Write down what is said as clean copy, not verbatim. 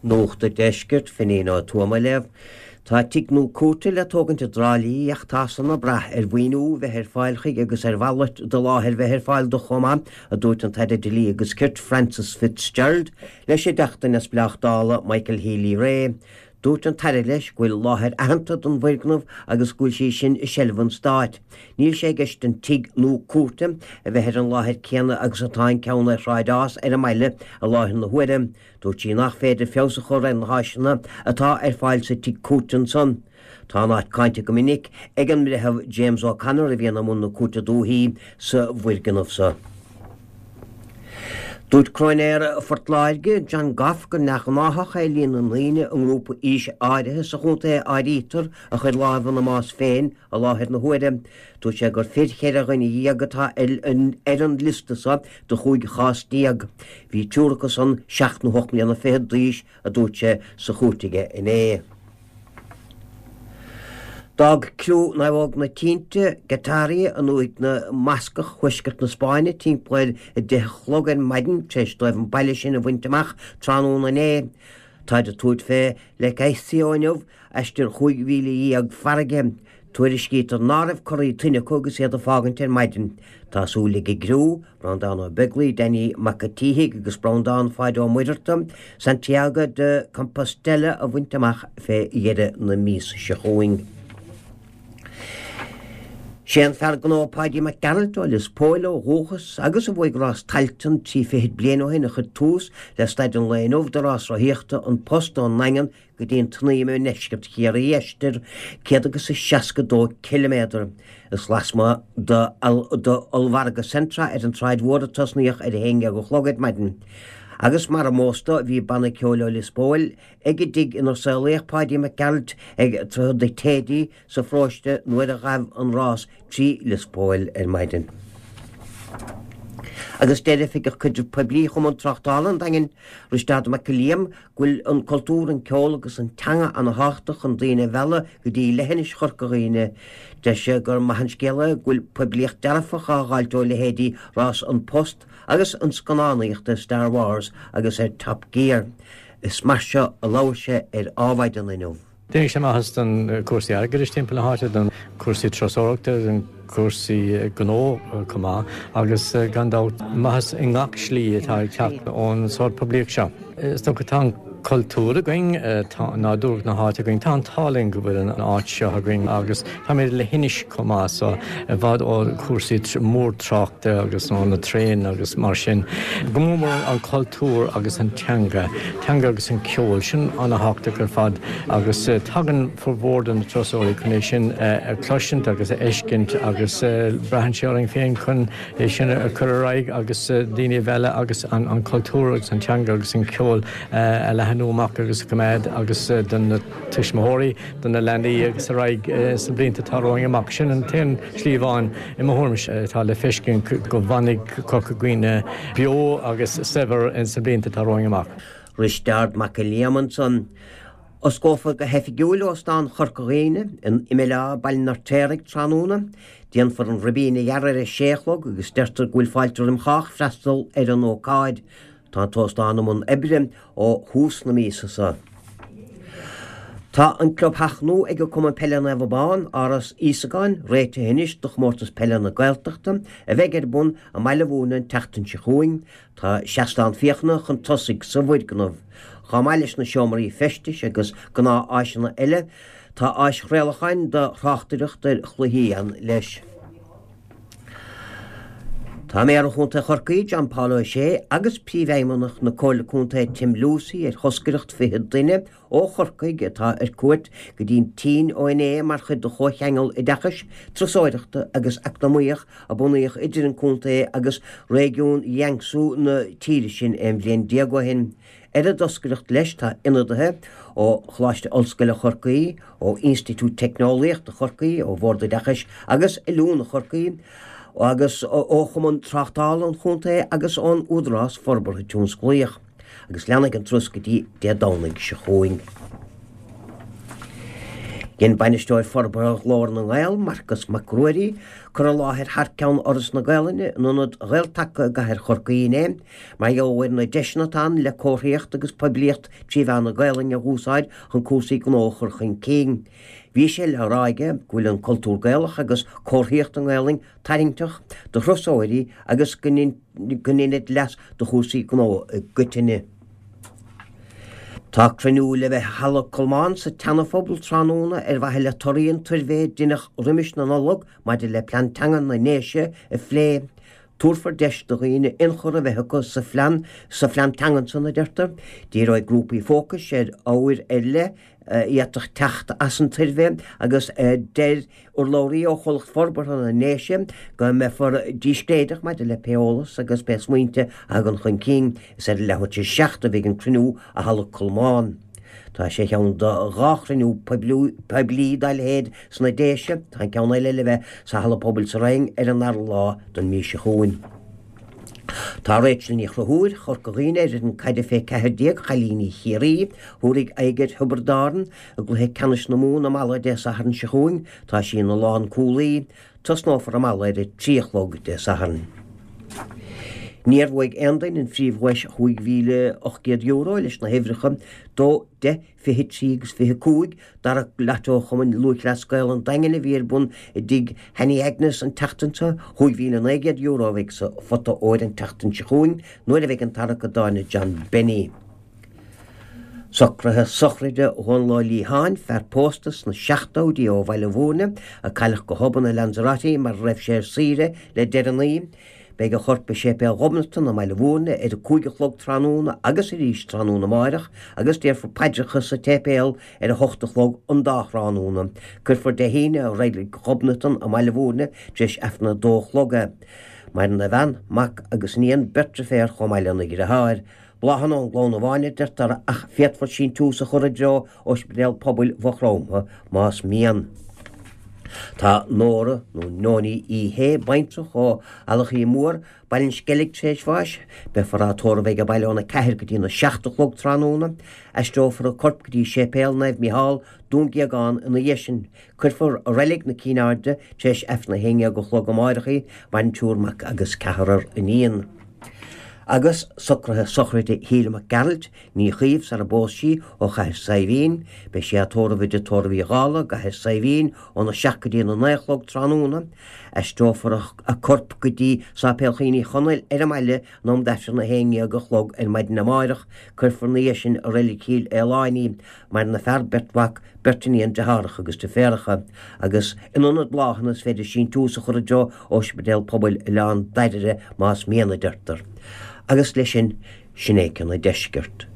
Nuacht an Deiscirt, Finín Ó Tuama á léamh. Tá tigh nua cúirte le tógaint i dTrá Lí ach tá san ag brath ar mhaoiniú bheith ar fáil chuige agus ar mhalairt de láthair bheith ar fáil do chomh maith, a dúirt an tAire Dlí agus Cirt Frances Fitzgerald leis an dTeachta Neamhspleách Dála Michael Healy-Rae. Dúirt an tAire leis go bhfuil láthair aitheanta don bhfoirgneamh agus go bhfuil sí sin i seilbh an Stáit. Níl sé i gceist an tigh nua cúirte a bheith ar an láthair céanna agus atá an ceann ar Shráid Ághas ar an mbaile i láthair na huaire. Dúirt sí nach féidir feabhas a chur ar na háiseanna atá ar fáil sa tigh cúirte ansan. Tá an áit cáinte go minic ag an mBreitheamh James O'Connor a bhíonn i mbun na Cúirte Dúichí sa bhfoirgneamh so. Dúirt Cróinéir Phort Láirge, John Goff gur neamhghnáthach é líon na ndaoine i ngrúpa aoise áirithe sa chontae a áirítear a chuir lámh ina mbás féin i láthair na huaire. Dúirt sé gur fir cheithre dhuine dhéag atá ar an liosta so de chúig chás déag. Bhí triúr acu san seacht nó hocht mbliana fichead d'aois a dúirt sé sa chúirt aige inné. D'fhág criú Naomhóg na Tinte, Getaria, i ndúthaigh na mBascach, thuaisceart na Spáinne, timpeall ar 10 a chlog ar maidin tar éis dóibh an baile sin a bhaint amach tráthnóna inné. Táid ag tabhairt fé Lekeitio inniu, aistear 15 mhíle farraige. Tuairiscítear ná raibh corraí toinne acu agus iad ag fágaint ar maidin. Tá súil ag an gcriú, Breandán Ó Beaglaoi, Danny Mac an tSíthigh agus Breandán Pháid Ó Muircheartaigh, Santiago de Compostela a bhaint amach fé dheireadh na míosa seo chugainn. Sé an fear gnó Páidí Mac Gearailt ó Lios Póil ó dhúchas agus a bhuaigh rás Tailteann trí fichid bliain ó shin a chuir tús le staid an lae inniu de rás rothaíochta An Post ón nDaingean go dtí an tSnaidhm i ndeisceart Chiarraí, aistear 162 ciliméadar. Is lasmuigh d'ollmhargadh Centra ar an tSráid Mhór a tosnaíodh ar a haon dhéag a chlog ar maidin. Agus mar omós dó bhí banna ceoil ó Lios Póil ag an dtigh inar saolaíodh Páidí Mac Gearailt ag Droichead na Téidí sa pharóiste nuair a ghabh an rás trí Lios Póil ar maidin. Agus deir Oifigeach Caidrimh Poiblí Chumann Tráchtála an Daingin, Risteárd Mac Giolla Liam, go bhfuil an cultúr, an ceol agus an teanga ana-thábhachtach chun daoine a mhealladh go dtí leithinis Chorca Dhuibhne. Deir sé gur maith an scéal é go bhfuil poiblíocht dearfach á dh'fháilt ó leithéidí Rás An Post agus an scannánaíocht ar Star Wars agus ar Top Gear. Is mar seo a labhair sé ar Ádhmhaidin inniu. Déanfaidh sé maitheas don cúrsaí airgeadais timpeall na háite, don cúrsaí turasóireachta, don cúrsaí gnó chomh maith agus gan dabht maitheas i ngach slí atá ag teacht ón sórt poiblíocht seo. Is dócha tá an cultúr againn, tá nádúr na háite againn, tá an t-ádh linn go bhfuil an áit seo againn agus táimid ar leithinis chomh maith so i bhfad ó chúrsaí mór-tráchta agus ó na traein agus mar sin. Go mór mór an cultúr agus an teanga, teanga agus an ceol, sin ana-thábhachtach ar fad agus tagann formhór de na turasóirí chun é sin a chloisint agus a fheiscint agus braitheann sé orainn féin chun é sin a chur ar aghaidh agus daoine a mhealladh agus an cultúr agus an teanga agus an ceol a leathnú amach agus a choimeád agus do na tuismitheoirí do na leanaí agus ar aghaidh sna blianta atá romhainn amach. Sin an t-aon slí amháin, i mo thuairimse, atá le feiscint go bhfanfaidh Corca Dhuibhne beo agus saibhir sna blianta atá romhainn amach. Risteárd Mac Giolla Liam ansan. Osclófar go hoifigiúil Óstán Chorca Dhuibhne in Imill Átha, Baile an Fheirtéaraigh, tráthnóna. Déanfar an ribín a ghearradh ar a sé a chlog agus deirtear go bhfuil fáilte roim chách freastal ar an ócáid. Tá an t-óstán i mbun oibre ó thús na míosa seo. Tá an clubtheach nua ag Cumann Peile Naomh Abán, Áras Íosagáin, réitithe anois do Chomórtas Peile na Gaeltachta a bheidh ar bun i mBaile Mhúirne an tseachtain seo chugainn. Tá seastán féachana chun tosaigh sa bhfoirgneamh. Chomh maith leis na seomraí feistis agus gnáth-áiseanna eile, tá áis chraolacháin do thráchtaireacht ar chluichí ann leis. Tá Méara Chontae Chorcaí, John Paul O'Shea agus Príomhfheidhmeannach na Comhairle Contae Tim Lucey ar thoscaireacht 20 duine ó Chorcaigh atá ar cuairt go dtí an tSín ó inné mar chuid de chomhcheangal oideachais, turasóireachta agus eacnamaíoch a bunaíodh idir an contae agus réigiún Jiangsu na tíre sin aon bhliain déag ó shin. Ar an dtoscaireacht leis tá ionadaithe ó Choláiste Ollscoile Chorcaí, ó Institiúid Teicneolaíochta Chorcaí, ó Bhord Oideachais agus Oiliúna Chorcaí, agus ó Chumann Tráchtála an Chontae agus ón Údarás Forbartha Tionsclaíoch. Agus leanfaidh an turas go dtí Dé Domhnaigh seo chugainn. Dhein Bainisteoir Forbartha Ghlór na nGael, Marcas Mac Ruairí, cur i láthair thar ceann Fhoras na Gaelainne in Ionad Ghael-Taca i gcathair Chorcaí inné, mar gheall ar na deiseanna atá ann le comharthaíocht agus poiblíocht trí mheán na Gaelainne a dh'úsáid chun cúrsaí gnó a chur chun cinn. Bhí sé le rá aige go bhfuil an cultúr Gaelach agus comharthaíocht i nGaelainn tarraingteach do thurasóirí agus go ndeinid leas do chúrsaí gnó i gcoitinne. Tá cruinniú le bheith i Halla Colmán sa tSeana-Phobal tráthnóna ar mhaithe le torthaí an tsuirbhé a deineadh roimis na Nollag maidir le Plean Teanga na nDéise a phlé. Tabharfar deis do dhaoine ionchur a bheith acu sa phlean sa phlean teangan san, a deirtear. Díreoidh grúpaí fócais ar ábhair ar leith a d'fhéadfadh teacht as an tsuirbhé agus deir urlabhraí ó Chomhlacht Forbartha na nDéise go mbeifear díscréideach maidir le pé eolas agus pé smaointe a thagann chun cinn. Is ar a leathuair tar éis 7 a bheidh an cruinniú i Halla Colmán. Tá sé ar cheann de dhá chruinniú poiblí dá leithéid sna Déise. Tá an ceann eile le bheith sa Halla Pobail sa Rinn ar an dara lá den mhí seo chugainn. Tá Rachel Ní Chonchúir, Chorca Dhuibhne ar fhoireann caide fé 14 Chailíní Chiarraí, thabharfaidh aghaidh ar Thiobraid Árann i gcluiche ceannais na Mumhan i Mala Dé Sathairn seo chugainn. Tá sí ina lánchúlaí. Tosnófar i Mala ar a 3 a chlog Dé Sathairn. Níor bhuaigh aon duine an phríomhdhuais €5,800 leis na huimhreacha 2, 10, 23 agus 25, Tarrac Lotto Chumann Lúthchleas Gael an Daingin a bhí ar bun i dtigh Sheánie Agnes an tseachtain seo. €5,900 a bheidh sa phota óir an tseachtain seo chugainn nuair a bheidh an tarrac i dtábhairne John Benny. Socruithe sochraide Dhónaill Ó Liatháin, fear pósta sna seachtóidí ó Bhaile Bhúirne, a cailleadh go hobann i Lanzarote mar a raibh sé ar saoire le deireanaí. Beidh a chorp i Séipéal Ghobnatan i mBaile Bhúirne ar a 5 a chlog tráthnóna agus arís tráthnóna amáireach agus déarfar paidreacha sa tséipéal ar a hocht a chlog an dá thráthnóna. Cuirfear Dé hAoine i Reilig Ghobnatan i mBaile Bhúirne tar éis Aifreann a dó a chlog é. Maireann a bhean, mac agus iníon, beirt deirféar chomh maith lena dhriotháir. Bláthanna ón gclann amháin a deirtear ach féadfar síntiús a chur i dtreo Ospidéal Pobail Mhaigh Chromtha más mian. Tá Nóra nó Nóiní Uí Shé, baintreach ó Eallachaí Mór, Baile an Sceilg tar éis bháis. Beifear á tórramh age baile óna 4 go dtína 7 a chlog tráthnóna. Aistreofar a corp go dtí Séipéal Naomh Micheál, Dún Géagán ina dhiaidh sin. Cuirfear i Reilig na Cinn Airde tar éis Aifreann a haon dhéag a chlog amáireach í, maireann triúr mac agus ceathrar iníon. Agus socruithe sochraide Shíle Mac Gearailt, ní Chaoimh sara bpós sí, ó Chathair Saidhbhín. Beidh sí á tórramh i dTigh Tórraimh Uí Dhálaigh, i gCathair Saidhbhín, óna 7 go dtí na 9 a chlog tráthnóna. Aistreofar a corp go dtí Sáipéal Chaoin Uí Chonaill ar an mbaile in am d'Aifreann a haon dhéag a chlog ar maidin amáireach. Cuirfear ina dhiaidh sin i Reilig Chill Fhaoláin í. Maireann a fear, beirt mhac, beirt iníon, deartháireacha agus deirféaracha, agus in ionad bláthanna is féidir síntiús a chur i dtreo Ospidéal Pobail Oileán Dairbhre más mian, a deirtear. Agus leis sin, sin é cionn an deiscirt.